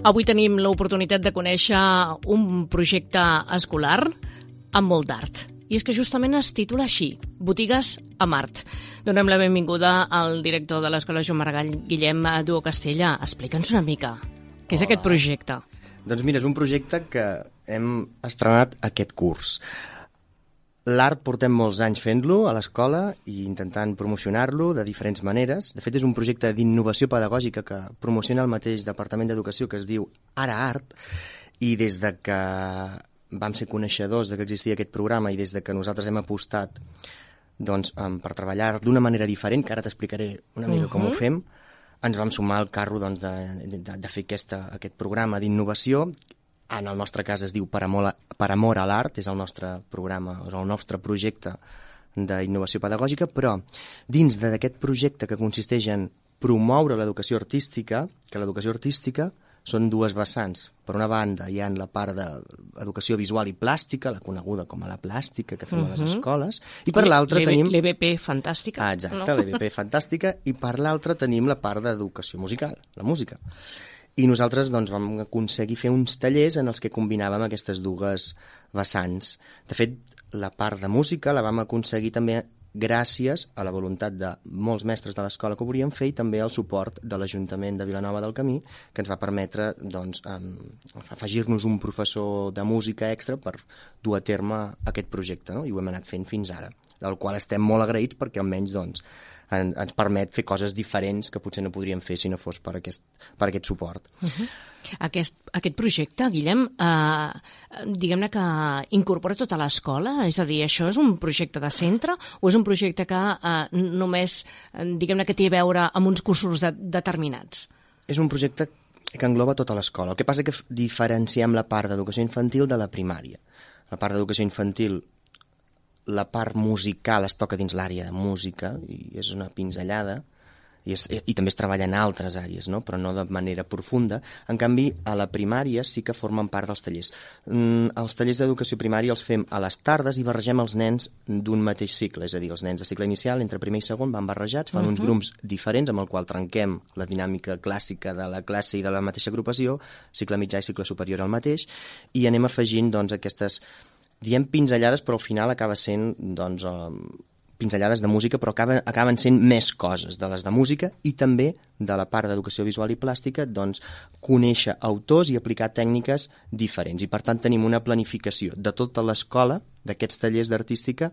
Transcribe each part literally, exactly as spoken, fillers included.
Avui tenim l'oportunitat de conèixer un projecte escolar amb molt d'art. I és que justament es titula així, Botigues amb art. Donem la benvinguda al director de l'Escola Joan Maragall, Guillem Duo Castella. Explica'ns una mica, què és Hola. Aquest projecte? Doncs mira, és un projecte que hem estrenat aquest curs. L'art portem molts anys fent-lo a l'escola i intentant promocionar-lo de diferents maneres. De fet, és un projecte d'innovació pedagògica que promociona el mateix Departament d'Educació, que es diu Ara Art, i des de que vam ser coneixedors de que existia aquest programa i des de que nosaltres hem apostat doncs, per treballar d'una manera diferent, que ara t'explicaré una mica uh-huh. com ho fem, ens vam sumar al carro doncs, de, de, de fer aquesta, aquest programa d'innovació. En el nostre cas es diu Per amor, a, per amor a l'art, és el nostre programa, és el nostre projecte d'innovació pedagògica, però dins d'aquest projecte que consisteix en promoure l'educació artística, que l'educació artística són dues vessants. Per una banda hi ha la part d'educació visual i plàstica, la coneguda com a la plàstica que fem uh-huh. a les escoles, i per l'altra tenim... l'E V P fantàstica. Ah, exacte, no? l'E V P fantàstica, i per l'altra tenim la part d'educació musical, la música. I nosaltres doncs, vam aconseguir fer uns tallers en els que combinàvem aquestes dues vessants. De fet, la part de música la vam aconseguir també gràcies a la voluntat de molts mestres de l'escola que ho volien fer i també al suport de l'Ajuntament de Vilanova del Camí, que ens va permetre doncs, afegir-nos un professor de música extra per dur a terme aquest projecte, no? I ho hem anat fent fins ara, del qual estem molt agraïts perquè almenys doncs, ens permet fer coses diferents que potser no podríem fer si no fos per aquest, per aquest suport. Uh-huh. Aquest, aquest projecte, Guillem, eh, diguem-ne que incorpora tota l'escola? És a dir, això és un projecte de centre o és un projecte que eh, només, diguem-ne, que té a veure amb uns cursos de, determinats? És un projecte que engloba tota l'escola. El que passa és que diferenciem la part d'educació infantil de la primària. La part d'educació infantil, la part musical es toca dins l'àrea de música i és una pinzellada i, és, i també es treballa en altres àrees, no? Però no de manera profunda. En canvi, a la primària sí que formen part dels tallers. Mm, els tallers d'educació primària els fem a les tardes i barregem els nens d'un mateix cicle, és a dir, els nens de cicle inicial, entre primer i segon, van barrejats, fan uh-huh. uns grups diferents amb el qual trenquem la dinàmica clàssica de la classe i de la mateixa agrupació, cicle mitjà i cicle superior al mateix, i anem afegint doncs, aquestes diem pinzellades, però al final acaba sent doncs, eh, pinzellades de música, però acaben, acaben sent més coses de les de música i també de la part d'educació visual i plàstica, doncs, conèixer autors i aplicar tècniques diferents. I per tant tenim una planificació de tota l'escola, d'aquests tallers d'artística,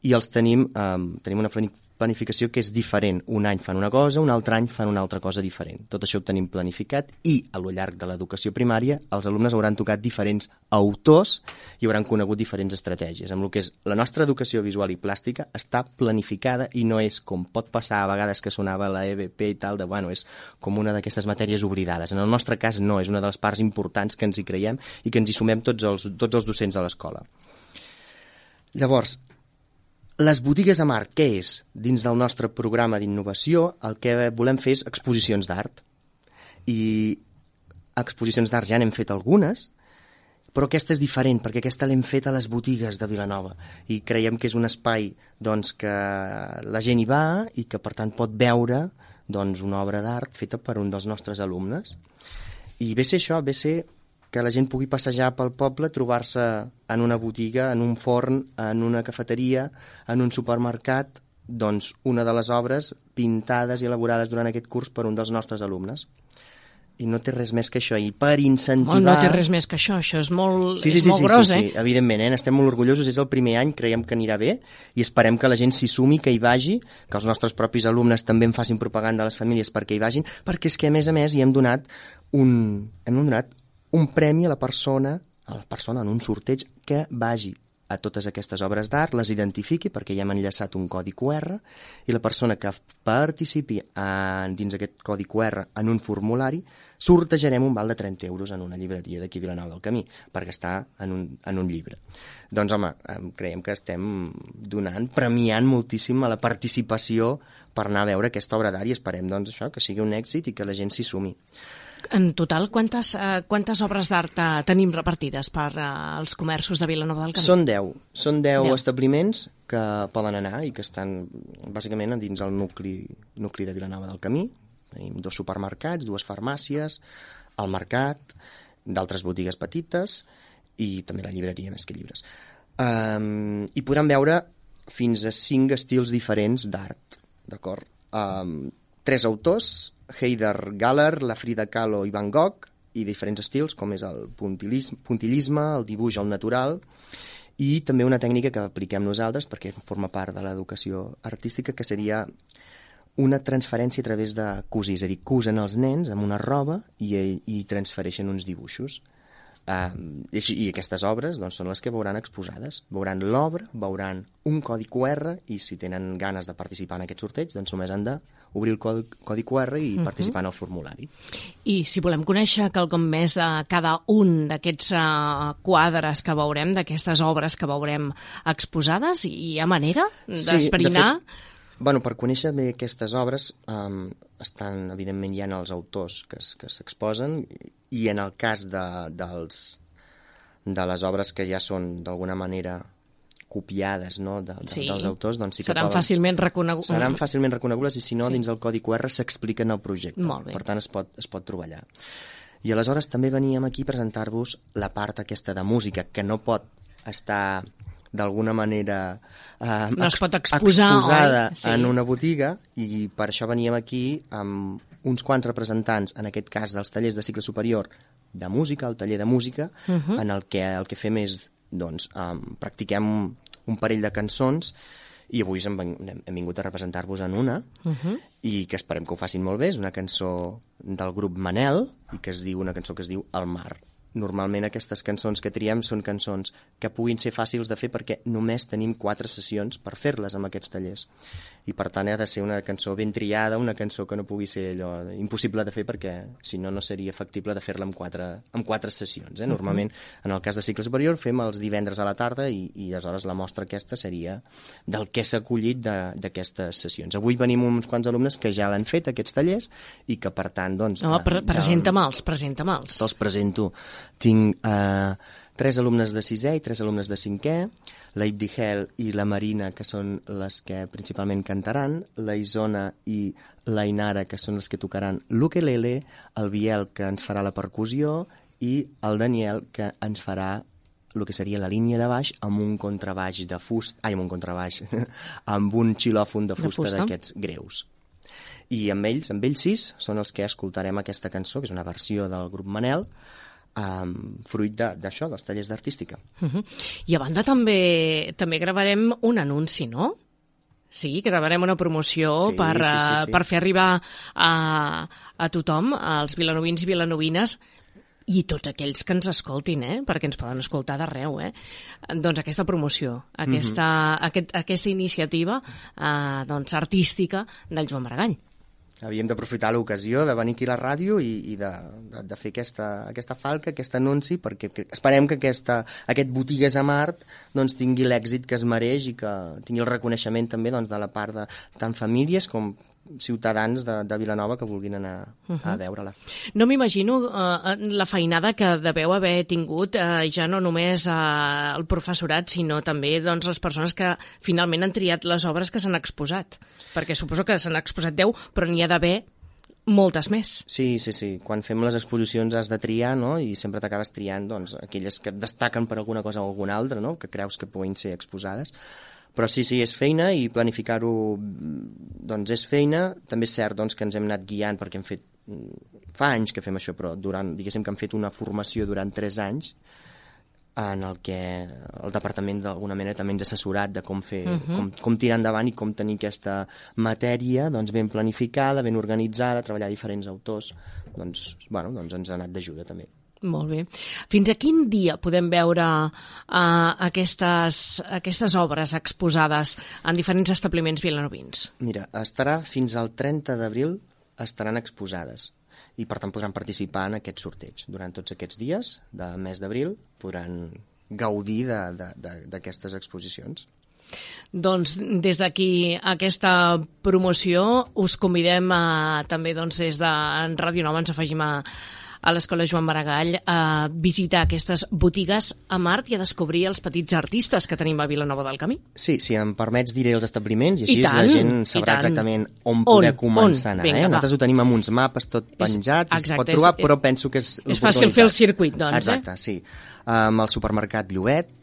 i els tenim, eh, tenim una planificació que és diferent. Un any fan una cosa, un altre any fan una altra cosa diferent. Tot això ho tenim planificat i a lo llarg de l'educació primària els alumnes hauran tocat diferents autors i hauran conegut diferents estratègies. Amb el que és la nostra educació visual i plàstica està planificada i no és com pot passar a vegades que sonava la E V P i tal, de bueno, és com una d'aquestes matèries oblidades. En el nostre cas no, és una de les parts importants que ens hi creiem i que ens hi sumem tots els, tots els docents de l'escola. Llavors, les botigues amb art, què és? Dins del nostre programa d'innovació, el que volem fer és exposicions d'art. I exposicions d'art ja n'hem fet algunes, però aquesta és diferent, perquè aquesta l'hem fet a les botigues de Vilanova. I creiem que és un espai doncs, que la gent hi va i que, per tant, pot veure doncs, una obra d'art feta per un dels nostres alumnes. I ve ser això, ve ser que la gent pugui passejar pel poble, trobar-se en una botiga, en un forn, en una cafeteria, en un supermercat, doncs una de les obres pintades i elaborades durant aquest curs per un dels nostres alumnes. I no té res més que això. I per incentivar... No, no té res més que això, això és molt, sí, sí, és sí, molt sí, gros, sí, eh? Sí, evidentment, eh? Estem molt orgullosos, és el primer any, creiem que anirà bé i esperem que la gent s'hi sumi, que hi vagi, que els nostres propis alumnes també en facin propaganda a les famílies perquè hi vagin, perquè és que a més a més hi hem donat un... hem donat un premi a la persona, a la persona en un sorteig que vagi a totes aquestes obres d'art, les identifiqui perquè ja hem enllaçat un codi Q R i la persona que participi en, dins aquest codi Q R en un formulari sortejarem un val de trenta euros en una llibreria d'aquí a Vilanova del Camí per gastar en un, en un llibre. Doncs home, creiem que estem donant, premiant moltíssim a la participació per anar a veure aquesta obra d'art i esperem doncs, això, que sigui un èxit i que la gent s'hi sumi. En total, quantes, eh, quantes obres d'art eh, tenim repartides per eh, els comerços de Vilanova del Camí? Són deu. Són deu establiments que poden anar i que estan bàsicament dins el nucli, nucli de Vilanova del Camí. Tenim dos supermercats, dues farmàcies, al mercat, d'altres botigues petites i també la llibreria Més que Llibres. Um, I podran veure fins a cinc estils diferents d'art, d'acord? Um, tres autors, Heider Galler, la Frida Kahlo i Van Gogh, i diferents estils, com és el puntillisme, puntillisme, el dibuix al natural, i també una tècnica que apliquem nosaltres, perquè forma part de l'educació artística, que seria una transferència a través de cosir, és a dir, cosen els nens amb una roba i, i transfereixen uns dibuixos. Uh, i, i aquestes obres doncs, són les que veuran exposades. Veuran l'obra, veuran un codi cu erre i si tenen ganes de participar en aquest sorteig doncs només han d'obrir el codi, codi cu erre i uh-huh. participar en el formulari. I si volem conèixer quelcom més de cada un d'aquests uh, quadres que veurem, d'aquestes obres que veurem exposades, hi ha manera d'esbrinar? Sí, de fet, bueno, per conèixer bé aquestes obres um, estan, evidentment, hi ha els autors que, que s'exposen i en el cas de, dels, de les obres que ja són d'alguna manera copiades, no, de, de, sí. dels autors, doncs sí que seran poden, fàcilment reconegudes. Seran fàcilment reconegudes i si no, sí. dins el codi cu erre s'expliquen el projecte. Molt bé. Per tant, es pot, es pot trobar allà. I aleshores també veníem aquí a presentar-vos la part aquesta de música, que no pot estar d'alguna manera eh, no es pot exposar, exposada sí. en una botiga, i per això veníem aquí amb uns quants representants, en aquest cas dels tallers de cicle superior de música, el taller de música, uh-huh. en el que el que fem és, doncs, um, practiquem un parell de cançons i avui hem, hem vingut a representar-vos en una uh-huh. i que esperem que ho facin molt bé. És una cançó del grup Manel i que es diu una cançó que es diu El mar. Normalment aquestes cançons que triem són cançons que puguin ser fàcils de fer perquè només tenim quatre sessions per fer-les amb aquests tallers. I per tant ha de ser una cançó ben triada, una cançó que no pugui ser allò impossible de fer perquè si no no seria factible de fer-la en quatre, en quatre sessions. Eh? Normalment, en el cas de cicle superior, fem els divendres a la tarda i, i aleshores la mostra aquesta seria del que s'ha acollit d'aquestes sessions. Avui venim uns quants alumnes que ja l'han fet, aquests tallers, i que per tant, doncs... No, pre ja presenta-me'ls, presenta-me'ls. Te'ls presento. Tinc eh, tres alumnes de sisè i tres alumnes de cinquè, la Ibdihel i la Marina, que són les que principalment cantaran, la Isona i la Inara, que són les que tocaran l'ukelele, el Biel, que ens farà la percussió, i el Daniel, que ens farà el que seria la línia de baix amb un contrabaix de fusta, ai, amb un contrabaix, amb un xilòfon de fusta, fusta? d'aquests greus. I amb ells, amb ells sis, són els que escoltarem aquesta cançó, que és una versió del grup Manel, Um, fruit d'això, de, dels tallers d'artística. Uh-huh. I a banda també també gravarem un anunci, no? Sí, gravarem una promoció sí, per, sí, sí, sí. per fer arribar a, a tothom, als vilanovins i vilanovines, i tots aquells que ens escoltin, eh? Perquè ens poden escoltar d'arreu, eh? Doncs aquesta promoció, aquesta, uh-huh. aquest, aquesta iniciativa eh, doncs, artística del Joan Maragall. Havíem d'aprofitar l'ocasió de venir aquí a la ràdio i, i de, de, de fer aquesta, aquesta falca, aquest anunci, perquè esperem que aquesta, aquest Botigues a Mart doncs, tingui l'èxit que es mereix i que tingui el reconeixement també doncs, de la part de tant famílies com ciutadans de, de Vilanova que vulguin anar uh-huh. a veure-la. No m'imagino uh, la feinada que deveu haver tingut uh, ja no només uh, el professorat, sinó també doncs, les persones que finalment han triat les obres que s'han exposat. Perquè suposo que s'han exposat deu, però n'hi ha d'haver moltes més. Sí, sí, sí. Quan fem les exposicions has de triar, no? I sempre t'acabes triant doncs, aquelles que destaquen per alguna cosa o alguna altra, no? Que creus que puguin ser exposades. Però sí, sí, és feina i planificar-ho doncs és feina. També és cert doncs, que ens hem anat guiant perquè hem fet... Fa anys que fem això, però durant, diguéssim que hem fet una formació durant tres anys en el que el departament d'alguna manera també ens ha assessorat de com fer, uh-huh. com, com tirar endavant i com tenir aquesta matèria doncs, ben planificada, ben organitzada, treballar diferents autors. Doncs, bueno, doncs ens ha anat d'ajuda també. Molt bé. Fins a quin dia podem veure uh, aquestes, aquestes obres exposades en diferents establiments vilanovins? Mira, estarà fins al trenta d'abril estaran exposades i per tant podran participar en aquest sorteig. Durant tots aquests dies de mes d'abril podran gaudir d'aquestes exposicions. Doncs des d'aquí aquesta promoció us convidem a, també doncs, des de Ràdio Nova ens afegim a a l'Escola Joan Maragall a visitar aquestes botigues amb art i a descobrir els petits artistes que tenim a Vilanova del Camí. Sí, si em permets diré els establiments i així I tant, la gent sabrà exactament on poder on, començar on? a anar. Vinga, eh? va. Nosaltres ho tenim amb uns mapes tot penjats, exacte, es pot trobar, és, però penso que és És fàcil fer el circuit, doncs, Exacte, eh? sí. Amb el supermercat Llobet,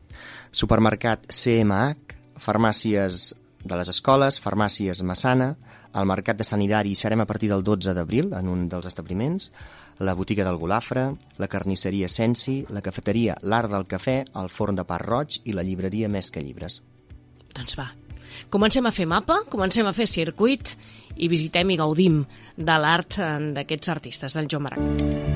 supermercat C M H, farmàcies de les escoles, farmàcies Massana, al Mercat de Sant Hilari hi serem a partir del dotze d'abril en un dels establiments, la botiga del Golafre, la carnisseria Sensi, la cafeteria L'Art del Cafè, el forn de pa roig i la llibreria Més que Llibres. Doncs va, comencem a fer mapa, comencem a fer circuit i visitem i gaudim de l'art d'aquests artistes del Joan Maragall.